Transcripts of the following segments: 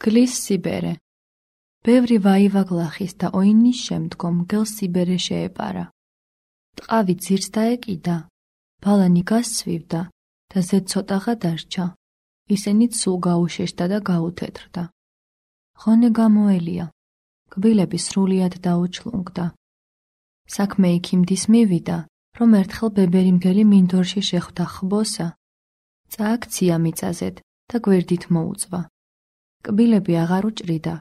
მგლის სიბერე. ბევრი ვაივაგლახის და ოინის შემდგომ მგელს სიბერე შეეპარა. ტყავი ძირს დაეკიდა, ბალანი გასცვივდა და ზედ ცოტაღა დარჩა. ისინიც სულ გაუშეშდა და გაუთეთრდა. ღონე გამოელია, კბილები სრულიად დაუჩლუნგდა. საქმე იქიმდის მივიდა, რომ ერთხელ ბებერი მგელი მინდორში შეხვდა ხბოსა, წააქცია მიწაზედ და გვერდით მოუწვა. კბილები აღარ უჭრიდა,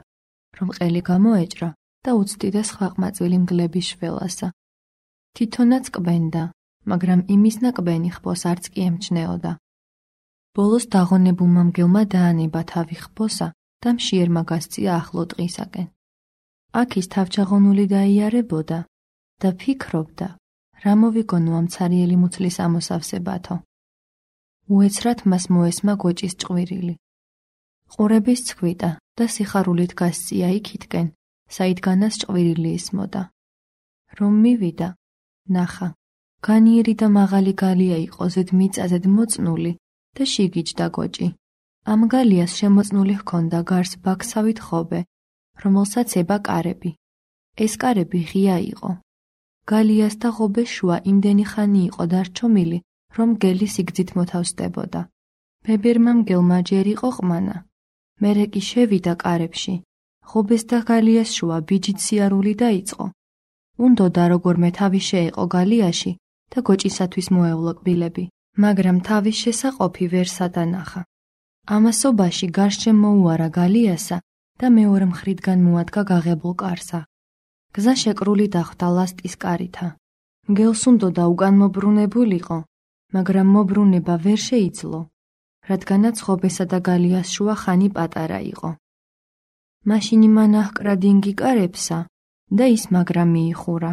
რომ ყელი გამოეჭრა და უცდიდა სხვა ყმაწვილი მგლების შველასა. თვითონაც კბენდა, მაგრამ იმის ნაკბენი ხბოს არც კი ემჩნეოდა. ბოლოს დაღონებულმა მგელმა დაანება თავი ხბოსა და მშიერმა გასწია ახლო ტყისაკენ. აქ ის თავჩაღონული დაიარებოდა და ფიქრობდა, რა მოვიგონო ამ ცარიელი მუცლის ამოსავსებათო. უეცრად მას მოესმა გოჭის ჭყვირილი. ყურების ცხვიტა და სიხარულით გასწია იქითკენ, საიდგანაც ჭყვირილი ისმოდა. რომ მივიდა, ნახა, განიერი და მაღალი გალია იყო ზედ მიწაზედ მოწნული და შიგიჯდა გოჭი. ამ გალიას შემოწნული ჰქონდა გარს ბაქსავით ხობე, რომელსაც ება კარები. ეს კარები ღია იყო. გალიას და ღობეს შუა იმდენი ხანი იყო დარჩომილი, რომ მგელი სიგრძით მოთავსდებოდა. ბებერმა მგელმა ჯერ იყო ყმანა. მერე კი შევიდა კარებში. ღობეს და გალიას შუა ბიჯით სიარული დაიწყო. უნდოდა როგორმე თავი შეეყო გალიაში და გოჭისათვის მოევლო კბილები, მაგრამ თავის შესაყოფი ვერ სადანახა. ამასობაში გარშემ მოუარა გალიასა და მეორე მხრიდან მოადგა გაღებულ კარსა. გზა შეკრული დახვდა ლასტის კარითა. მგელს უნდოდა უკან მობრუნებულიყო, მაგრამ მობრუნება ვერ შეიძლო, რადგანაც ღობესა და გალიას შუა ხანი პატარა იყო. მაშინ მან აჰკრა დინგი კარებსა და ის მაგრა მიიხურა.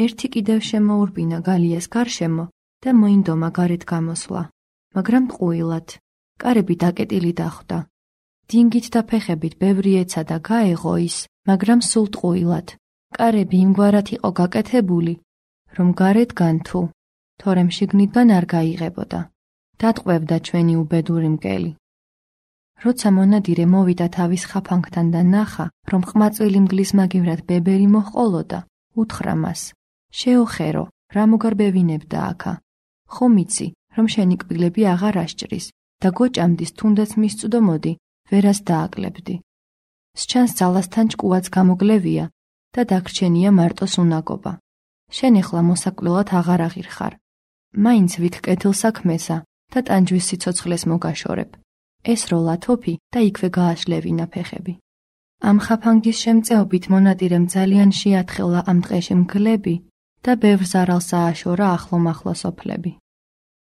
ერთი კიდევ შემოურბინა გალიას გარშემო და მოინდომა გარეთ გამოსვლა, მაგრამ ტყუილად. კარები დაკეტილი დახვდა. დინგით და ფეხებით ბევრი ეცა და გაეღო ის, მაგრამ სულ ტყუილად. კარები იმგვარად იყო გაკეთებული, რომ გარეთ განთუ, თორემ შიგნიდან არ გაიღებოდა. დატყვევდა ჩვენი უბედური მგელი. როცა მონადირე მოვიდა თავის ხაფანგთან და ნახა, რომ ყმაწვილი მგლის მაგივრად ბებერი მოჰყოლოდა, უთხრა მას: შეოხერო, რა მოგარბევინებდა აქა? ხომ იცი, რომ შენი კბილები აღარ ასჭრის და გოჭამდის თუნდაც მისწვდომოდი, ვერას დააკლებდი. სჩანს ძალასთან ჭკუაც გამოგლევია და დაგრჩენია მარტოს უნაგობა. შენ ეხლა მოსაკვდილად აღარ აღირხარ. მაინც ვიქ კეთილ საქმესა და ტანჯვის სიცოცხლეს მოგაშორებ. ეს როლა თოფი და იქვე გააშლევინა ფეხები. ამ ხაფანგის შემწეობით მონადირემ ძალიან შეათხელა ამ ტყეში მგლები და ბევრ ზარალს ააშორა ახლო-მახლო სოფლები.